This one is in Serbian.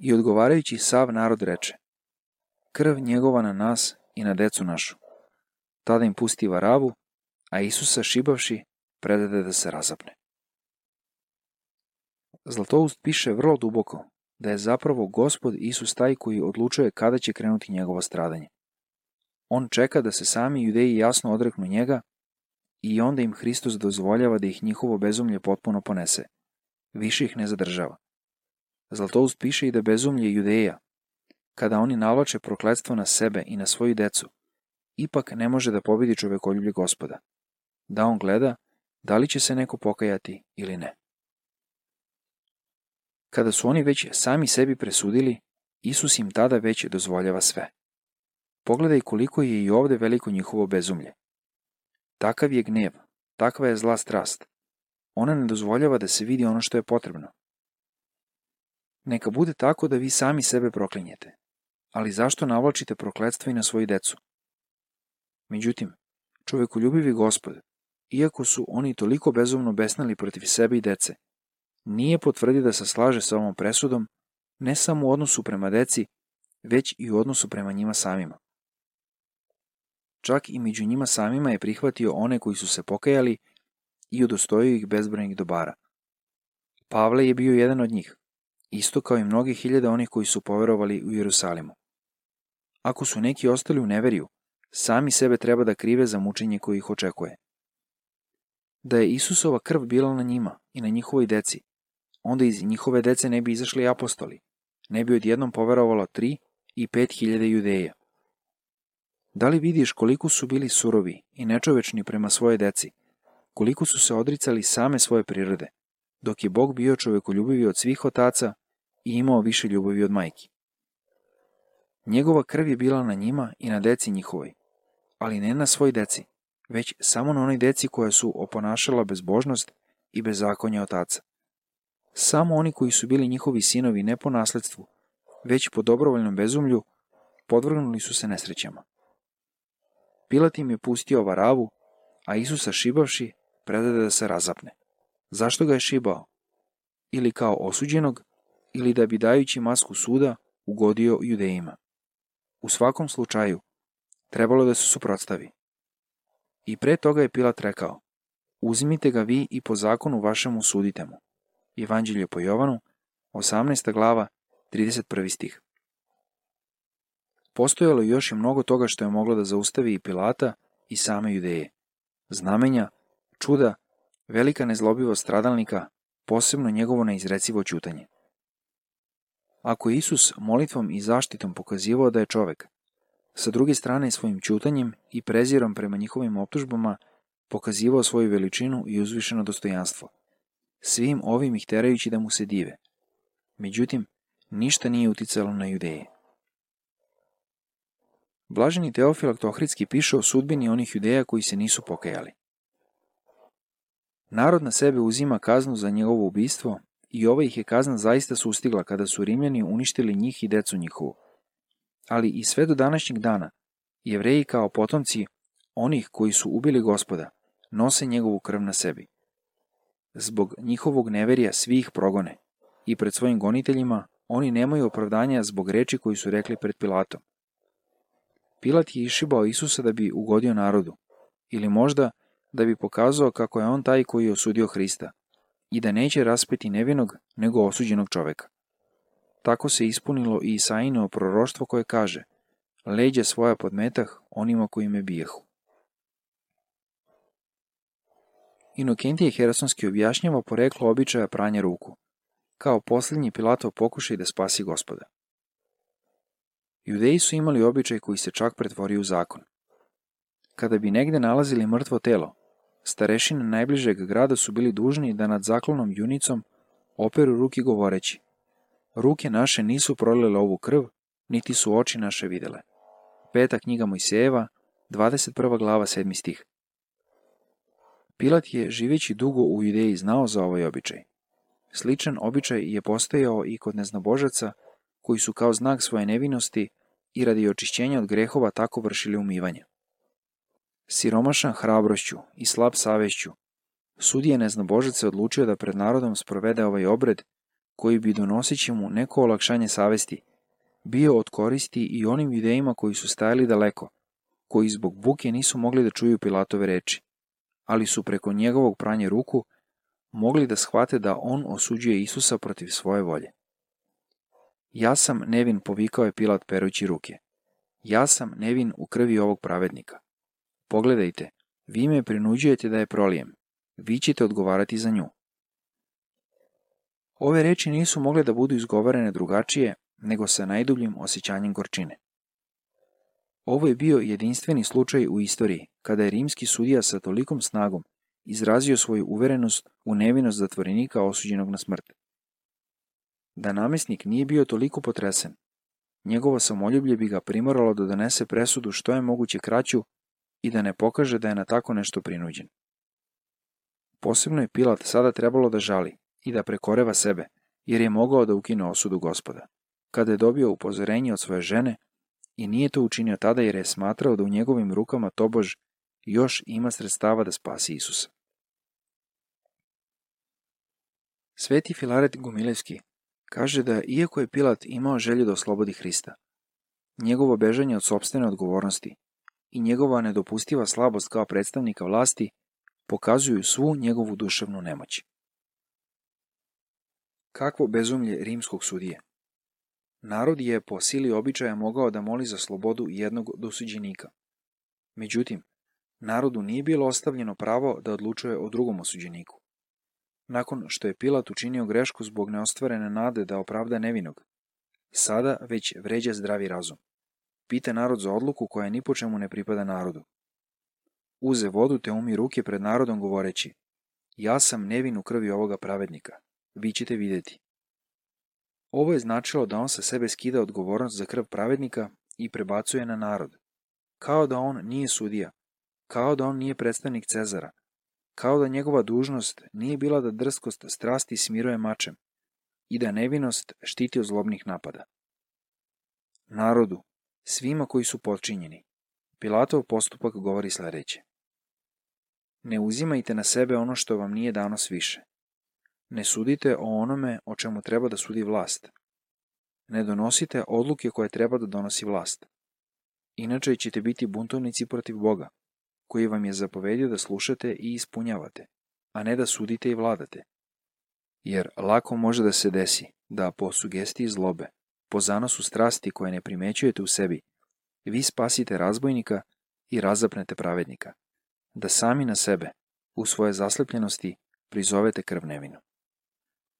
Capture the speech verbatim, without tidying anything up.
I odgovarajući sav narod reče: krv njegova na nas i na decu našu. Tada im pusti Varavu, a Isusa šibavši predade da se razapne. Zlatoust piše vrlo duboko da je zapravo Gospod Isus taj koji odlučuje kada će krenuti njegovo stradanje. On čeka da se sami Judeji jasno odreknu njega i onda im Hristos dozvoljava da ih njihovo bezumlje potpuno ponese. Više ih ne zadržava. Zlatoust piše i da bezumlje Judeja, kada oni navlače prokletstvo na sebe i na svoju decu, ipak ne može da pobedi čovekoljublje Gospoda, da on gleda da li će se neko pokajati ili ne. Kada su oni već sami sebi presudili, Isus im tada već dozvoljava sve. Pogledaj koliko je i ovde veliko njihovo bezumlje. Takav je gnev, takva je zla strast. Ona ne dozvoljava da se vidi ono što je potrebno. Neka bude tako da vi sami sebe proklinjete, ali zašto navlačite prokletstvo i na svoju decu? Međutim, čovekoljubivi Gospod, iako su oni toliko bezumno besnali protiv sebe i dece, nije potvrdio da se slaže sa ovom presudom, ne samo u odnosu prema deci, već i u odnosu prema njima samima. Čak i među njima samima je prihvatio one koji su se pokajali i udostojio ih bezbrojnih dobara. Pavle je bio jedan od njih, isto kao i mnogi hiljade onih koji su poverovali u Jerusalimu. Ako su neki ostali u neveriju, sami sebe treba da krive za mučenje koje ih očekuje. Da je Isusova krv bila na njima i na njihovoj deci, onda iz njihove dece ne bi izašli apostoli, ne bi odjednom poverovalo tri i pet hiljada Judeja. Da li vidiš koliko su bili surovi i nečovečni prema svoje deci, koliko su se odricali same svoje prirode, dok je Bog bio čovekoljubivi od svih otaca i imao više ljubavi od majki. Njegova krv je bila na njima i na deci njihovoj, ali ne na svoj deci, već samo na onoj deci koja su oponašala bezbožnost i bezakonje otaca. Samo oni koji su bili njihovi sinovi ne po nasledstvu, već po dobrovoljnom bezumlju, podvrgnuli su se nesrećama. Pilat im je pustio Varavu, a Isusa šibavši predade da se razapne. Zašto ga je šibao? Ili kao osuđenog, ili da bi dajući masku suda ugodio Judejima. U svakom slučaju, trebalo da se suprotstavi. I pre toga je Pilat rekao: uzmite ga vi i po zakonu vašemu sudite mu. Evanđelje po Jovanu, osamnaesta glava, trideset prvi stih. Postojalo je još i mnogo toga što je moglo da zaustavi i Pilata i same Judeje. Znamenja, čuda, velika nezlobivost stradalnika, posebno njegovo neizrecivo ćutanje. Ako je Isus molitvom i zaštitom pokazivao da je čovek, sa druge strane svojim ćutanjem i prezirom prema njihovim optužbama pokazivao svoju veličinu i uzvišeno dostojanstvo, svim ovim ih terajući da mu se dive. Međutim, ništa nije uticalo na Judeje. Blaženi Teofilakt Ohridski piše o sudbini onih Judeja koji se nisu pokajali. Narod na sebe uzima kaznu za njegovo ubistvo i ova ih je kazna zaista sustigla kada su Rimljani uništili njih i decu njihovu. Ali i sve do današnjeg dana, Jevreji kao potomci onih koji su ubili Gospoda nose njegovu krv na sebi. Zbog njihovog neverija svi ih progone i pred svojim goniteljima oni nemaju opravdanja zbog reči koji su rekli pred Pilatom. Pilat je išibao Isusa da bi ugodio narodu, ili možda da bi pokazao kako je on taj koji je osudio Hrista i da neće raspeti nevinog nego osuđenog čoveka. Tako se ispunilo i Isaijino proroštvo koje kaže: leđa svoja podmetah onima koji me bijehu. Inokentije Herasonski objašnjava poreklo običaja pranja ruku, kao posljednji Pilatov pokušaj da spasi Gospoda. Judeji su imali običaj koji se čak pretvorio u zakon. Kada bi negde nalazili mrtvo telo, starešine najbližeg grada su bili dužni da nad zaklonom junicom operu ruke govoreći: ruke naše nisu prolile ovu krv, niti su oči naše videle. Peta knjiga Mojsejeva, dvadeset prva glava, sedmi stih. Pilat je, živeći dugo u Judeji, znao za ovaj običaj. Sličan običaj je postojao i kod neznabožaca, koji su kao znak svoje nevinosti i radi očišćenja od grehova tako vršili umivanje. Siromašan hrabrošću i slab savešću, sudija neznabožac se odlučio da pred narodom sprovede ovaj obred koji bi donoseći mu neko olakšanje savesti, bio od koristi i onim judeima koji su stajali daleko, koji zbog buke nisu mogli da čuju Pilatove reči, ali su preko njegovog pranja ruku mogli da shvate da on osuđuje Isusa protiv svoje volje. Ja sam nevin, povikao je Pilat perući ruke. Ja sam nevin u krvi ovog pravednika. Pogledajte, vi me prinuđujete da je prolijem. Vi ćete odgovarati za nju. Ove reči nisu mogle da budu izgovorene drugačije nego sa najdubljim osjećanjem gorčine. Ovo je bio jedinstveni slučaj u istoriji kada je rimski sudija sa tolikom snagom izrazio svoju uverenost u nevinost zatvorenika osuđenog na smrt. Da namesnik nije bio toliko potresen, njegovo samoljublje bi ga primoralo da donese presudu što je moguće kraću i da ne pokaže da je na tako nešto prinuđen. Posebno je Pilat sada trebalo da žali i da prekoreva sebe, jer je mogao da ukine osudu Gospoda, kada je dobio upozorenje od svoje žene i nije to učinio tada jer je smatrao da u njegovim rukama tobož još ima sredstava da spasi Isusa. Sveti Filaret Gumilevski kaže da iako je Pilat imao želju da oslobodi Hrista, njegovo bežanje od sopstvene odgovornosti i njegova nedopustiva slabost kao predstavnika vlasti pokazuju svu njegovu duševnu nemoć. Kakvo bezumlje rimskog sudije! Narod je po sili običaja mogao da moli za slobodu jednog dosuđenika. Međutim, narodu nije bilo ostavljeno pravo da odlučuje o drugom osuđeniku. Nakon što je Pilat učinio grešku zbog neostvarene nade da opravda nevinog, sada već vređa zdravi razum. Pita narod za odluku koja ni po čemu ne pripada narodu. Uze vodu te umi ruke pred narodom govoreći: ja sam nevin u krvi ovoga pravednika, vi ćete vidjeti. Ovo je značilo da on sa sebe skida odgovornost za krv pravednika i prebacuje na narod. Kao da on nije sudija, kao da on nije predstavnik Cezara, kao da njegova dužnost nije bila da drskost strasti smiruje mačem i da nevinost štiti od zlobnih napada. Narodu, svima koji su potčinjeni, Pilatov postupak govori sledeće: ne uzimajte na sebe ono što vam nije dano sviše. Ne sudite o onome o čemu treba da sudi vlast. Ne donosite odluke koje treba da donosi vlast. Inače ćete biti buntovnici protiv Boga, koji vam je zapovedio da slušate i ispunjavate, a ne da sudite i vladate. Jer lako može da se desi da po sugestiji zlobe, po zanosu strasti koje ne primećujete u sebi, vi spasite razbojnika i razapnete pravednika, da sami na sebe, u svoje zaslepljenosti, prizovete krv nevinu.